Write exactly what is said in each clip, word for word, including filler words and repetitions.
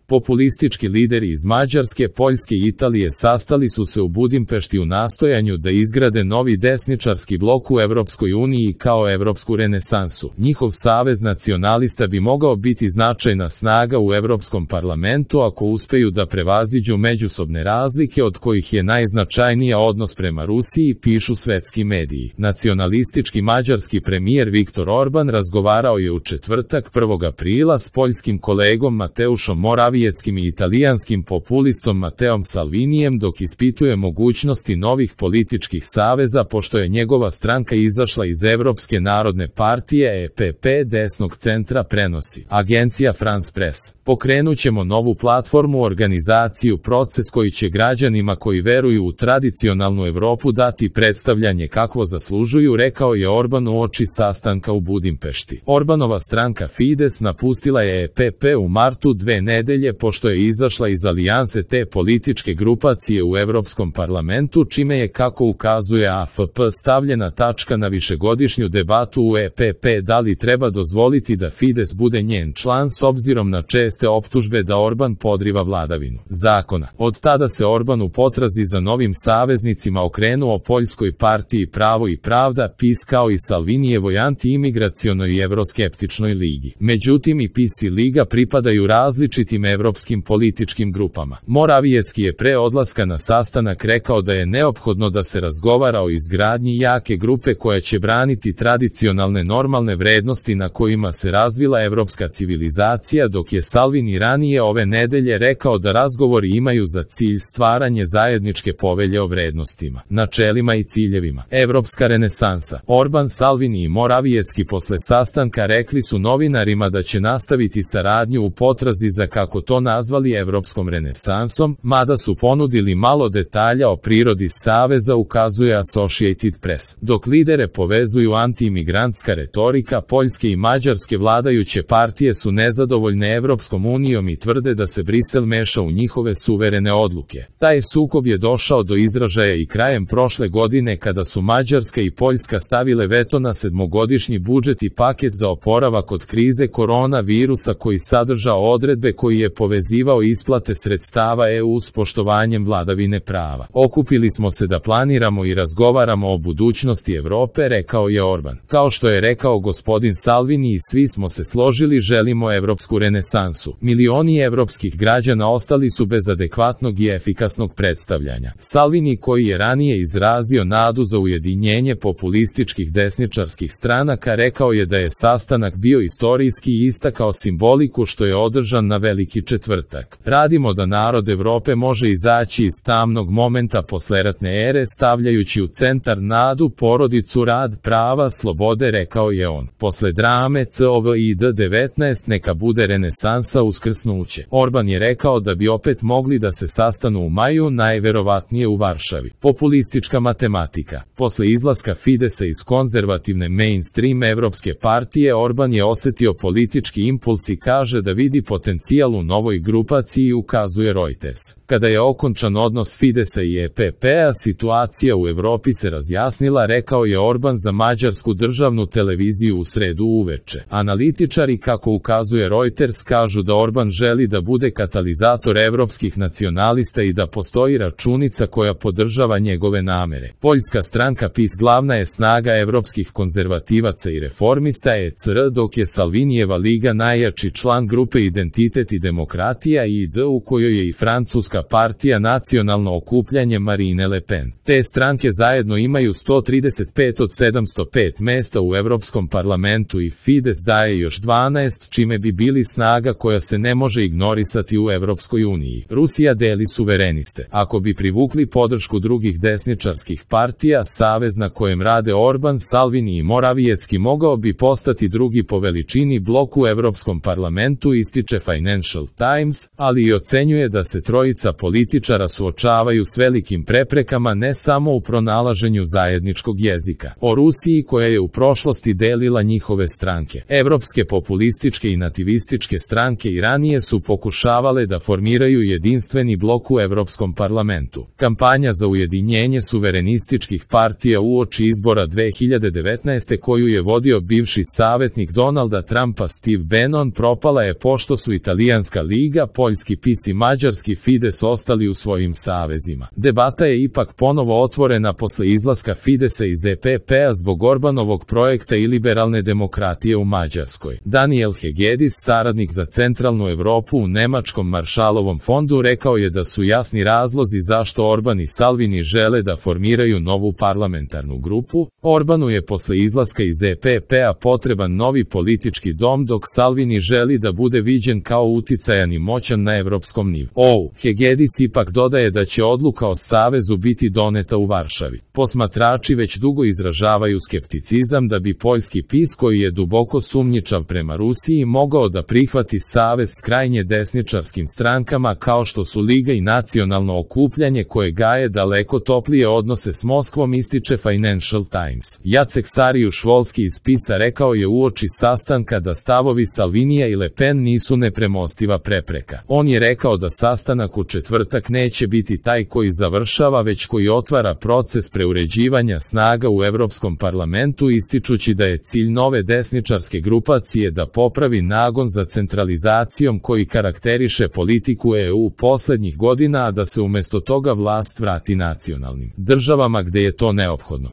Populistički lideri iz Mađarske, Poljske i Italije sastali su se u Budimpešti u nastojanju da izgrade novi desničarski blok u Evropskoj uniji kao evropsku renesansu. Njihov savez nacionalista bi mogao biti značajna snaga u Evropskom parlamentu ako uspeju da prevaziđu međusobne razlike od kojih je najznačajnija odnos prema Rusiji, pišu svetski mediji. Nacionalistički mađarski premijer Viktor Orban razgovarao je u četvrtak prvog aprila s poljskim kolegom Mateušom Morawieckim i italijanskim populistom Mateom Salvinijem dok ispituje mogućnosti novih političkih saveza pošto je njegova stranka izašla iz Evropske narodne partije E P P desnog centra, prenosi agencija France Press. Pokrenućemo novu platformu, organizaciju, proces koji će građanima koji veruju u tradicionalnu Evropu dati predstavljanje kakvo zaslužuju, rekao je Orban uoči sastanka u Budimpešti. Orbanova stranka Fides napustila je E P P u martu dve nedelje pošto je izašla iz alijanse te političke grupacije u Evropskom parlamentu, čime je, kako ukazuje A F P, stavljena tačka na višegodišnju debatu u E P P da li treba dozvoliti da Fides bude njen član s obzirom na česte optužbe da Orban podriva vladavinu zakona. Od tada se Orban u potrazi za novim saveznicima okrenuo Poljskoj partiji Pravo i pravda, P I S, kao i Salvinijevoj anti-imigracionoj i evroskeptičnoj ligi. Međutim, i P I S i Liga pripadaju različitim evropskim političkim grupama. Morawiecki je pre odlaska na sastanak rekao da je neophodno da se razgovara o izgradnji jake grupe koja će braniti tradicionalne normalne vrednosti na kojima se razvila evropska civilizacija, dok je Salvini ranije ove nedelje rekao da razgovori imaju za cilj stvaranje zajedničke povelje o vrednostima, načelima i ciljevima. Evropska renesansa. Orban, Salvini i Morawiecki posle sastanka rekli su novinarima da će nastaviti saradnju u potrazi za, kako to nazvali, evropskom renesansom, mada su ponudili malo detalja o prirodi saveza, ukazuje Associated Press. Dok lidere povezuju anti-imigrantska retorika, poljske i mađarske vladajuće partije su nezadovoljne Evropskom unijom i tvrde da se Brisel meša u njihove suverene odluke. Taj sukob je došao do izražaja i krajem prošle godine kada su Mađarska i Poljska stavile veto na sedmogodišnji budžet i paket za oporavak od krize koronavirusa koji sadržao odredbe koji je povezivao isplate sredstava E U s poštovanjem vladavine prava. Okupili smo se da planiramo i razgovaramo o budućnosti Evrope, rekao je Orban. Kao što je rekao gospodin Salvini, i svi smo se složili, želimo evropsku renesansu. Milioni evropskih građana ostali su bez adekvatnog i efikasnog predstavljanja. Salvini, koji je ranije izrazio nadu za ujedinjenje populističkih desničarskih stranaka, rekao je da je sastanak bio istorijski i istakao simboliku što je održan na Veliki četvrtak. Radimo da narod Evrope može izaći iz tamnog momenta posleratne ere stavljajući u centar nadu, porodicu, rad, prava, slobode, rekao je on. Posle drame COVID devetnaest neka bude renesansa, uskrsnuće. Orban je rekao da bi opet mogli da se sastanu u maju, najverovatnije u Varšavi. Populistička matematika. Posle izlaska Fidesa iz konzervativne mainstream evropske partije, Orban je osetio politički impuls i kaže da vidi potencijal u novoj grupaciji, ukazuje Reuters. Kada je okončan odnos Fidesa i E P P-a, situacija u Evropi se razjasnila, rekao je Orban za mađarsku državnu televiziju u sredu uveče. Analitičari, kako ukazuje Reuters, kažu da Orban želi da bude katalizator evropskih nacionalista i da postoji računica koja podržava njegove namere. Poljska stranka P I S glavna je snaga evropskih konzervativaca i reformista E C R, dok je Salvinijeva liga najjači član grupe Identitet i demokratija I D, u kojoj je i francuska partija Nacionalno okupljanje Marine Le Pen. Te stranke zajedno imaju sto trideset pet od sedamsto pet mesta u Evropskom parlamentu i Fides daje još dvanaest, čime bi bili snaga koja se ne može ignorisati u Evropskoj uniji. Rusija deli suvereniste. Ako bi privukli podršku drugih desničarskih partija, savez na kojem rade Orban, Salvini i Morawiecki mogao bi postati drugi po veličini blok u Evropskom parlamentu, ističe Financial Times, ali i ocenjuje da se trojica političara suočavaju s velikim preprekama ne samo u pronalaženju zajedničkog jezika. O Rusiji, koja je u prošlosti delila njihove stranke. Evropske populističke i nativističke stranke i ranije su pokušavale da formiraju jedinstveni blok u Evropskom parlamentu. Kampanja za ujedinjenje suverenističkih partija uoči izbora dve hiljade devetnaeste koju je vodio bivši savjetnik Donalda Trumpa Steve Bannon propala je pošto su italijanska Srpska liga, poljski P I S i mađarski Fides ostali u svojim savezima. Debata je ipak ponovo otvorena posle izlaska Fidesa iz E P P-a zbog Orbanovog projekta i liberalne demokratije u Mađarskoj. Daniel Hegedis, saradnik za centralnu Evropu u Nemačkom Maršalovom fondu, rekao je da su jasni razlozi zašto Orban i Salvini žele da formiraju novu parlamentarnu grupu. Orbanu je posle izlaska iz E P P-a potreban novi politički dom, dok Salvini želi da bude viđen kao uticajan i moćan na evropskom nivou. Hegedis ipak dodaje da će odluka o savezu biti doneta u Varšavi. Posmatrači već dugo izražavaju skepticizam da bi poljski P I S, koji je duboko sumnjičav prema Rusiji, mogao da prihvati savez s krajnje desničarskim strankama kao što su Liga i Nacionalno okupljanje, koje gaje daleko toplije odnose s Moskvom, ističe Financial Times. Jacek Sarijuš-Volski iz P I S-a rekao je uoči sastanka da stavovi Salvinija i Le Pen nisu nepremostiva prepreka. On je rekao da sastanak u četvrtak neće biti taj koji završava, već koji otvara proces preuređivanja snaga u Evropskom parlamentu, ističući da je cilj nove desničarske grupacije da popravi nagon za centralizacijom koji karakteriše politiku E U poslednjih godina, a da se umesto toga vlast vrati nacionalnim državama gde je to neophodno.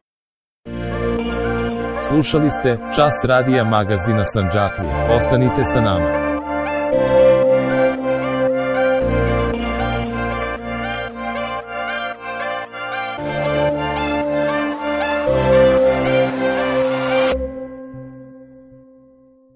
Slušali ste Čas radija magazina Sandžaklija. Ostanite sa nama.